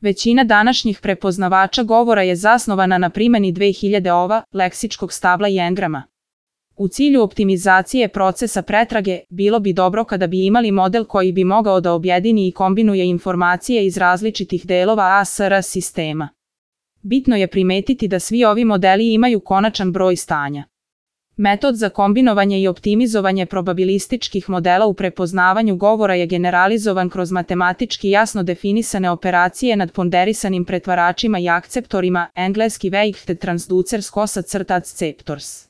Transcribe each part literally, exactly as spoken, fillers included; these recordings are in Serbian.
Većina današnjih prepoznavača govora je zasnovana na primjeni dve hiljade ova leksičkog stabla i engrama. U cilju optimizacije procesa pretrage, bilo bi dobro kada bi imali model koji bi mogao da objedini i kombinuje informacije iz različitih delova A S R sistema. Bitno je primetiti da svi ovi modeli imaju konačan broj stanja. Metod za kombinovanje i optimizovanje probabilističkih modela u prepoznavanju govora je generalizovan kroz matematički jasno definisane operacije nad ponderisanim pretvaračima i akceptorima, engleski Weighted Transducers Acceptors.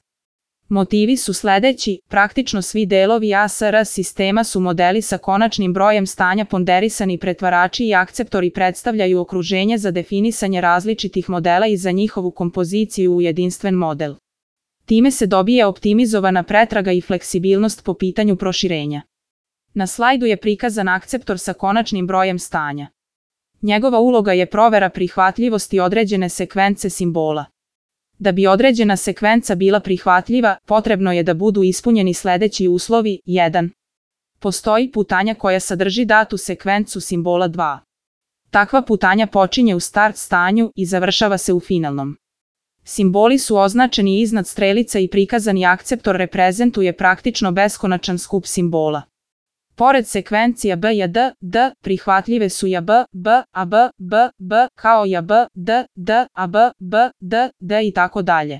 Motivi su sledeći: praktično svi delovi A S R sistema su modeli sa konačnim brojem stanja. Ponderisani pretvarači i akceptori predstavljaju okruženje za definisanje različitih modela i za njihovu kompoziciju u jedinstven model. Time se dobije optimizovana pretraga i fleksibilnost po pitanju proširenja. Na slajdu je prikazan akceptor sa konačnim brojem stanja. Njegova uloga je provera prihvatljivosti određene sekvence simbola. Da bi određena sekvenca bila prihvatljiva, potrebno je da budu ispunjeni sledeći uslovi. jedan. Postoji putanja koja sadrži datu sekvencu simbola. dva. Takva putanja počinje u start stanju i završava se u finalnom. Simboli su označeni iznad strelica i prikazani akceptor reprezentuje praktično beskonačan skup simbola. Pored sekvencija B i D, D, prihvatljive su i A B, B, A B, B, B, kao i A B, D, D, A B, B, D, D i tako dalje.